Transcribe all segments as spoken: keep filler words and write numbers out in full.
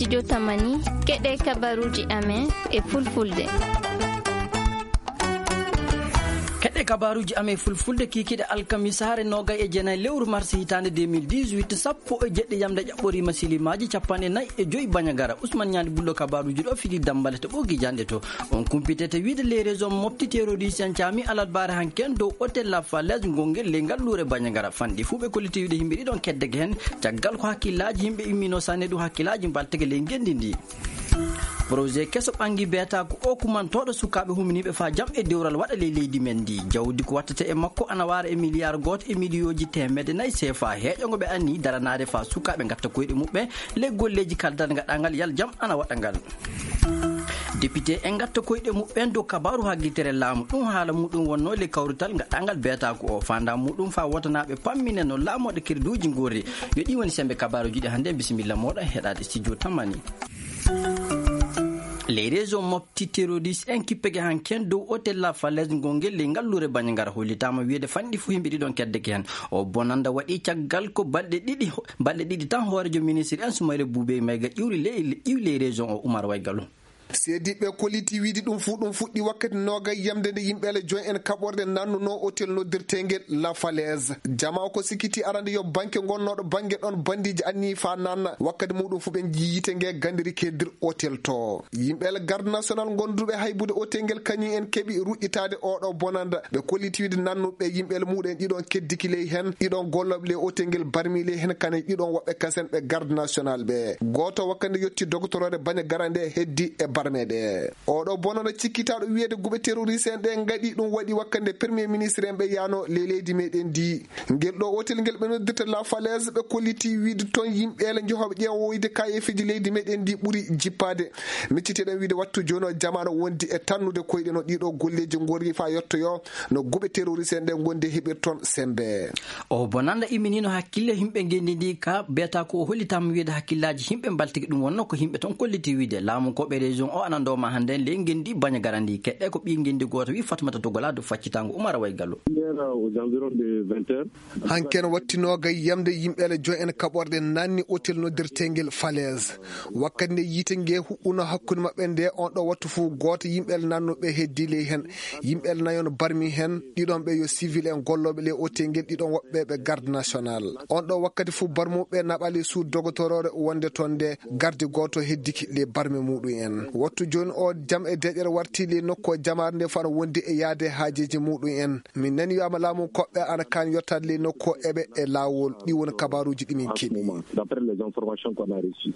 Studio Tamani, keɗe kabaruji amen e fulfulde. Keɗe kabaruji amen fulfulde kikiɗe alkamisaare nogay e jeenayi lewru mars hitaande deux mille dix-huit, sappo e jeɗɗi yamde ƴaɓɓoriima silimaaji capanɗe nayi e joyi bañagara. Ousmane Ñaandi Bullo kabaruji ɗo fili dambale to ɓogi janɗe to. On kumpitete wiide les réseaux mofti terroriste en caami alarbaare hanken dow hôtel La Falaise ngongel ley ngal luure bañagara. Fanɗi fuu ɓe kolliti wiide yimɓe ɗiɗon keddege heen. Caggal ko hakkillaaji yimɓe immino sanne ɗum hakkillaaji mbaltege ley ngenndi ndi. Projet keso ɓanngi beetaaku o kumantooɗo sukaaɓe huminiiɓe faa jam e dewral waɗa ley leydi men ndi. Jawdi ko wattata e makko ana waara e miliyaar gooto e miliyooji teemedde nayi seefa heeƴo ngo ɓe anni daranaade faa sukaaɓe ngatta koyɗe muɓɓen ley golleeji kaldangal gaɗangal yal jam ana waɗa ngal. Député en ngatta koyɗe muɓɓen dow kabaaru haggitere laamu. Ɗum haala muɗum wonnoo ley kawrital gaɗangal beetaaku o. Faandaa muɗum faa wotanaaɓe pammine no laamooɗe kerduuji ngorri. Yo ɗi woni sembe kabaaruji ɗi hannde. Bisimilla mooɗon heɗaade studio Tamani. Les réseaux mofti terroriste en kippege hanken dow hôtel La Falaise ngongel ley ngalluure Bandiagara hollitaama wiyeede fanɗi fuu yimɓe ɗiɗon keddeke heen. O bonanda waɗi caggal ko balɗe ɗiɗi, balɗe ɗiɗi tan hoorejo ministre en Soumaïla Boubèye Maïga ƴiwri ley, ƴiwi ley région o Oumar Waygalu. Seediɓɓe kolliti wiide ɗum fuu ɗum fuɗɗi wakkati noogay yamde nde yimɓe ele joyi en kaɓorɗe nannuno hôtel noddirteengel La Falaise. Jama o ko sikkiti arande yo banke gonnooɗo bannge ɗon bandiiji anni faa nanna. Wakkati muɗum fuu ɓe njii yiite nge gandiri keddir hôtel to. Yimɓe ele garde national gonduɓe haybude hôtel ngel kañum en keɓi ruƴƴitaade oɗo bonanda. Ɓe kolliti wiide nannuɓe yimɓe ele muɗum en ɗiɗon keddiki ley heen, ɗiɗon gollooɓe ley hôtel ngel barmi ley heen kanen ɗiɗon woɓɓe kasen ɓe garde national ɓe. Gooto wakkati nde yotti dogotoroore Bandiagara nde heddi e barme ɗe. Oɗo bonanda cikkitaaɗo wiyeede guɓe terroriste en ɗe ngaɗi ɗum waɗi wakkati nde premier ministre en ɓe yaano ley leydi meɗen ndi. Ngel ɗo hôtel ngel ɓe noddirta La Falaise ɓe kolliti wiide toon yimɓe ele njehooɓe ƴeewoyde kayeefiji leydi meɗen ndi ɓuri jippaade. Micciteɗen wiide wattu jooni o jamaano wondi e tannude koyɗe no ɗiɗo golleeji ngorri faa yottoyo no guɓe terroriste en ɗe ngondi heɓir toon sembe. O bonanda imminino hakkille yimɓe ngenndi ndi ka beeta ko o hollitaama wiyeede hakkillaaji yimɓe mbaltiki ɗum wonno ko yimɓe toon kolliti wiide laamu ko ɓe région o ana ndooma hannde ley ngenndi Bandiagara ndi keɗɗe ko ɓii ngenndi gooto wi Fatmata Togola do faccitango Oumar Waygalu. Hier aux environs de vingt heures. Hanken watti noogay yamde yimɓe ele joyi en kaɓorɗe nanni hôtel noddirteengel Falaise. Wakkati nde yiite nge huɓɓuno hakkunde maɓɓe nde on ɗo wattu fuu gooto yimɓe ele nannuɓe heddi ley heen. Yimɓe ele nayon barmi heen, ɗiɗon ɓe yo civil en gollooɓe ley hôtel ngel, ɗiɗon woɓɓe ɓe garde national. On ɗo wakkati fuu barmuɓe naɓali suud dogotoroore wonde toon nde gardi gooto heddiki ley barme muɗum en. Wattu jooni o jam e deƴƴere warti ley nokku o jamaare nde fano wondi e yaade haajeeji muɗum en. Min nani wiyaama laamu koɓɓe ana kaan yottaade ley nokku o eɓe e laawol. Ɗi woni kabaaruuji ɗi min keɓi. D'après les informations qu'on a reçues.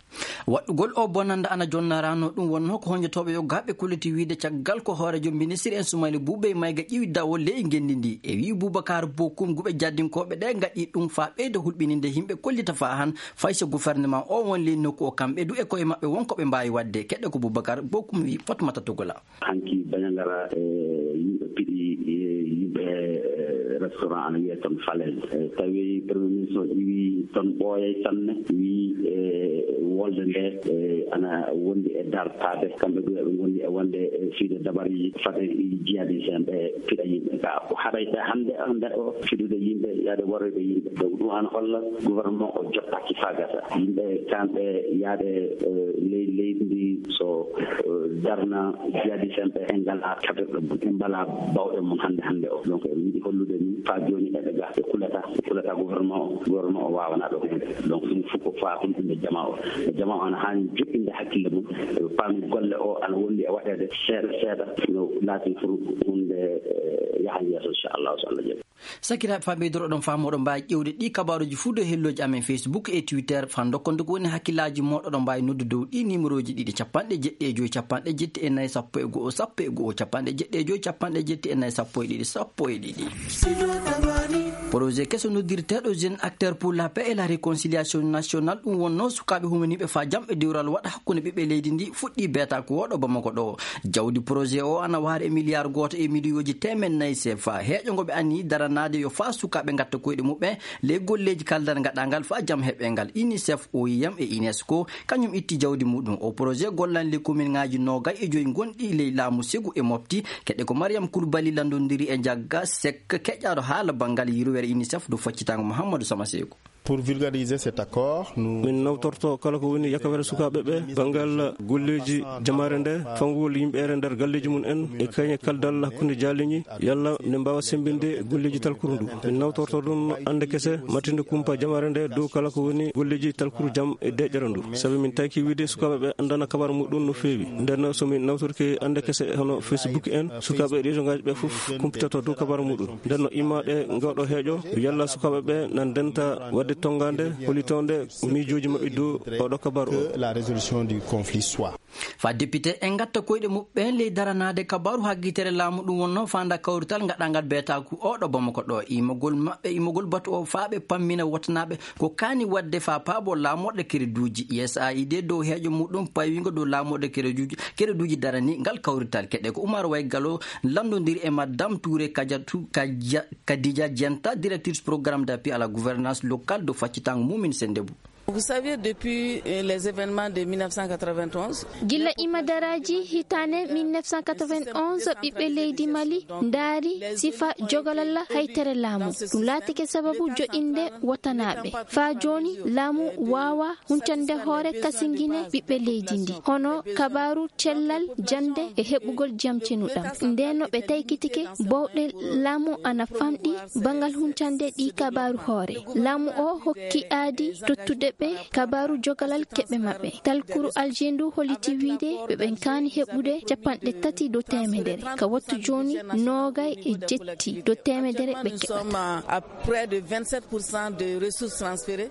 Waɗɗugol o bonanda ana jonnarano ɗum wonno ko honjotooɓe yo gaɓe kulliti wiide caggal ko hoorejo ministre en Soumaïla Boubèye Maïga ƴiwi dawo ley ngenndi ndi. E wii Boubacar Bokoum guɓe jaddinkooɓe ɗe ngaɗi ɗum faa ɓeyda hulɓininde yimɓe kollita faa han fay so gouvernement o won ley nokku o kamɓe du e koye maɓɓe won ko ɓe mbaawi waɗde. Keɗɗe ko Boubacar Bokoum wii Fatmata Togola. Hanki Bandiagara, eh, yimɓe piɗi, eh, yimɓe, eh, restaurant ana wiyee toon Falaise. Eh, tawi premier ministre o iwi toon ɓooyay sanne, wi, eh, wolde nde, eh, ana wondi e dartaade. Kamɓe ɗo eɓe ngondi e wonde, eh, fiide dabari fade jihadiste en ɓe piɗa yimɓe. Ka ko haɗay ɓe hannde, hannde o fiɗude yimɓe, yaade waroyde yimɓe. Donc ɗum ana holla gouvernement o jottaaki faa gasa. Yimɓe kamɓe yaade, eh, ley leydi ndi so, eh, darna jihadiste en ɓe en ngalaa kaɓirɗe mum, en mbalaa bawɗe mum hannde, hannde o. Donc eɓe yiɗi hollude min faa jooni eɓe ga, ɓe kulata, ɓe kulata gouvernement o, gouvernement o waawanaa ɓe huunde. Donc ɗum fof ko faa hulɓinde jama o. Jama o ana haani joɗɗinde hakkille mum, ɓe paami golle o ana wondi e waɗeede seeɗa seeɗa, no laatin pour huunde, eh, yaha yeeso, inchallah, so Allah jaɓi. Sakiraaɓe, faa ɓeydoro ɗon faa moɗon mbaawi ƴeewde ɗi kabaaruuji fuu dow hellooji amen Facebook e Twitter, faa ndokkonde ko woni hakkillaaji moɗon, ɗon mbaawi noddude dow ɗi nimerooji ɗiɗi, capanɗe jeɗɗi e joy, capanɗe jetti e nayi, sappo e go'o, sappo e go'o, capanɗe jeɗɗi e joy, capanɗe jetti e nayi, sappo e ɗiɗi, sappo e ɗiɗi. Projet keso noddirteeɗo Jeune Acteur pour la Paix et la Réconciliation Nationale, ɗum wonno sukaaɓe humaniiɓe faa jam e dewral waɗa hakkunde ɓiɓɓe leydi ndi, fuɗɗii beetaaku o ɗo Bamako ɗo. Jawdi projet o ana waari e miliyaar gooto e miliyooji teemeɗɗe nayi sefa. Heeƴo ngo ɓe anni daranaade yo faa sukaaɓe ngatta koyɗe muɓɓen ley golleeji kaldal gaɗangal faa jam heɓe ngal. UNICEF, O I M e UNESCO, kañum itti jawdi muɗum. O projet gollan ley kominŋaaji noogay e joy gonɗi ley laamu Segu e Mopti. Keɗɗe ko Mariam Koulibaly landondiri e Jagga Seck, keƴƴaaɗo haala banngal yirwere UNICEF dow faccitango Mouhamadou Sama Seku. Pour vulgariser cet accord, nous Min nawtorto kala ko woni yakawere sukaaɓe ɓe, banngal golleeji jamaare nde, fawgol yimɓeere nder galleeji mum en, e kañe kaldal hakkunde jaaliñi, yalla nde mbaawa semmbinde golleeji talkuru ndu. Min nawtorto ɗum annde kese, mattinde kumpa jamaare nde dow kala ko woni golleeji talkuru jam e deƴƴere ndu. Sabi min tawki wiide sukaaɓe ɓe anndana kabar muɗum no feewi. Nden so min nawtorki annde kese hono Facebook en, sukaaɓe région ngaji ɓe fof kumpitoto dow kabar muɗum. Nden no imma ɗe ngawɗo heeƴo, yalla sukaaɓe ɓe na ndenta waɗde tonngaande hollitonde miijooji maɓɓe dow oɗo kabar o. Que la résolution du conflit soit. Fa député en ngatta koyɗe muɓɓen ley daranaade kabaaru haggitere laamu ɗum wonno fanda kawrital ngaɗangal beetaaku oɗo Bamako ɗo. Imogol maɓɓe, imogol batu o faa ɓe pammina wotanaaɓe ko kaani waɗde faa paabo laamorɗe kereduuji. U S A I D dow heeƴo muɗum paywingo dow laamorɗe kereduuji, kereduuji darani ngal kawrital. Keɗe ko Oumar Way Gallo lanndondiri e Madame Touré Kadiatou, Kadia-, Kadija Dienta, directrice programme d'appui à la gouvernance locale dow faccitango Mumine Sendebou. Vous savez, depuis, euh, les événements de mille neuf cent quatre-vingt-onze, Gila imadaraaji hitaande mille neuf cent quatre-vingt-onze, ɓiɓɓe leydi Mali ndaari sifa jogalal haytere laamu. Ɗum laatike sababu joɗinde wotanaaɓe. Faa jooni, laamu waawa huncande hoore kasingine ɓiɓɓe leydi ndi. Hono kabaaru cellal, jannde e heɓugol jam cenuɗam. Ndeen no ɓe taykitike bowɗe laamu ana famɗi bangal huncande ɗi kabaaru hoore. Laamu o hokki aadi tottude ɓe kabaaru jogalal keɓe maɓɓe. Talkuru Alger ndu holliti wiide ɓe ɓen kaani heɓude capanɗe tati dow teemedere. Ka wattu jooni, noogay e jetti dow teemedere ɓe Nous keɓata. Sommes à près de vingt-sept pour cent de ressources transférées.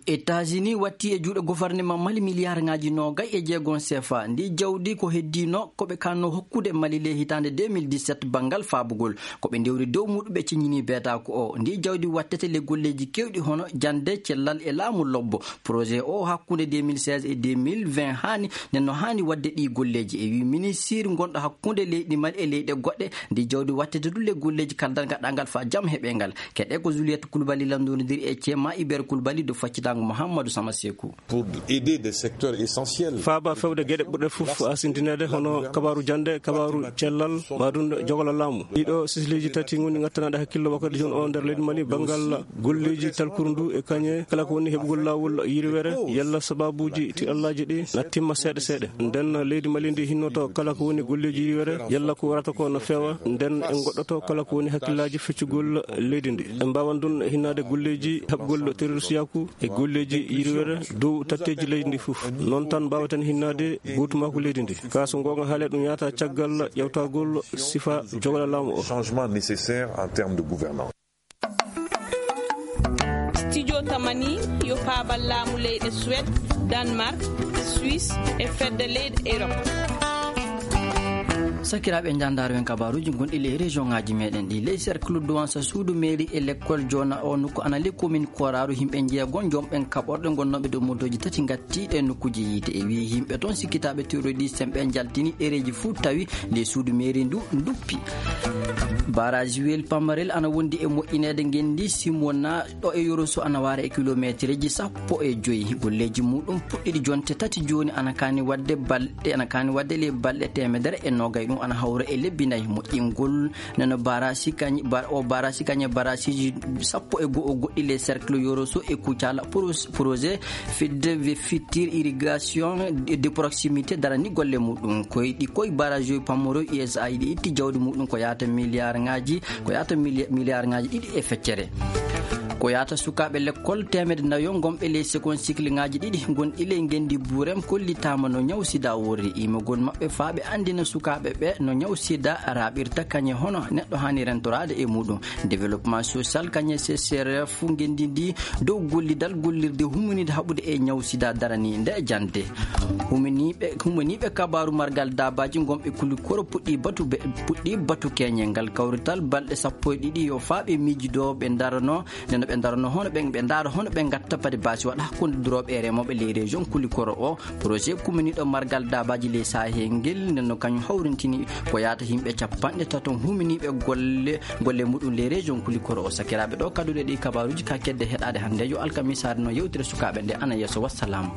États-Unis watti e juuɗe gouvernement Mali miliyarŋaaji noogay e jeegom C F A. Ndi jawdi ko heddino ko ɓe kanno hokkude Mali le hitaande deux mille dix-sept banngal faabugol. Ko ɓe ndewri dow muɗum ɓe ciññini beetaaku o. Ndi jawdi wattete le golleeji keewɗi hono jannde, cellal e laamu lobbo. Projet o hakkunde deux mille seize e deux mille vingt haani, nden no haani waɗde ɗi golleeji. E wi ministir gonɗo hakkunde leydi Mali e leyɗe goɗɗe, ndi jawdi wattete du le golleeji kaldal gaɗangal fa jam heɓe ngal. Keɗe ko Juliette Koulibaly lanndondiri e Cema Iber Koulibaly do faccitango Mouhamadou Samasekou. Pour aider des secteurs essentiels. Faaba fewde geɗe ɓurɗe fof asintineede hono kabaaru jannde, kabaaru cellal, ma ɗum jogola laamu. Ɗiɗo sisleeji tati ngoni ngattanaaɗe hakkillo wakkati jooni o nder leydi Mali, banngal golleeji talkuru ndu e kañe kala ko woni heɓugol laawol yirwere, yalla sababuuji tiɗallaaji ɗi na timma seeɗa seeɗa. Nden leydi Mali ndi hinnoto kala ko woni golleeji yirwere, yalla ko warata ko no feewa, nden en goɗɗoto kala ko woni hakkillaaji feccugol leydi ndi. En mbaawan ɗum hinnaade golleeji haɓgol terroristiyaaku e golleeji yirwere dow tatteeji leydi ndi fof. Noon tan mbaaweten hinnaade gootumaaku leydi ndi. Kaa so ngoonga haalee ɗum yaata caggal ƴewtagol sifa jogola laamu o. Changement nécessaire en termes de gouvernance. Studio Tamani yo paabal laamu leyɗe Suède, Danemark, Suisse e fedde leyɗe Europe. Sakiraaɓe, njandaaro en kabaaruuji gonɗi ley région ŋaaji meɗen ɗi. Ley cercle Douansa, suudu mairie e l'école Joona o nokku ana ley commune Kooraaru, yimɓe njeego jomɓen kaɓorɗe gonnooɓe dow motooji tati ngattiiɗe e nokkuuji yiite. E wii yimɓe toon sikkitaaɓe terroriste en ɓe njaltini ɗereeji fuu tawi ley suudu mairie ndu duppi. Barrage Wiyel Pamarel ana wondi e moƴƴineede ngenndi Simona ɗo e Yoroso ana waara e kilomeetereeji sappo e joy. Golleeji muɗum puɗɗiɗi jonte tati jooni ana kaani waɗde balɗe, ana kaani waɗde ley balɗe teemedere e noogay. Ɗum ana hawra e lebbi nayi. Moƴƴingol nano barasi kañ-, bar-, o barasi kañe barasiji sappo e go'o goɗɗi ley cercle Yoroso e Kucala pros-, projet fidde we fittir irrigation de, de proximité darani golle muɗum. Koy ɗi koy barrage Pamoro U S A I D itti jawdi muɗum ko yaata milliard ngaji, ko yaata mili-, milliard ngaji ɗiɗi e feccere. Ko yaata sukaaɓe lekkol teemedde nayo gonɓe ley seconde cycle ngaji ɗiɗi gonɗi ley ngendi Burem kollitaama no ñaw sida worri. Imogol maɓɓe faa ɓe anndina sukaaɓe ɓe no ñaw sida raaɓirta, kañe hono neɗɗo haani rentoraade e muɗum. Développement social kañe C C R F ngendi ndi dow gollidal gollirde huminide haɓude e ñaw sida darani nde jannde. Huminiiɓe, huminiiɓe kabaaru margal daabaaji gonɓe Kulikoro puɗɗi batu be, puɗɗi batu keñe ngal kawrital balɗe sappo e ɗiɗi yo faa ɓe miijido ɓe ndarano, nde no ɓe ndarano hono ɓe, ɓe ndaara hono ɓe ngatta pade baasi waɗa hakkunde durooɓe e remooɓe ley région Kulikoro o. Projet kumminiiɗo margal daabaaji ley Sahel ngel, nden no kañum hawrintini ko yaata yimɓe capanɗe tato huminiiɓe golle, golle muɗum ley région Kulikoro o. Sakiraaɓe, ɗo kadduɗe ɗi kabaaruuji ka kedde heɗaade hannde, yo alkamisaare no yewtere sukaaɓe nde ana yeeso. Wassalam.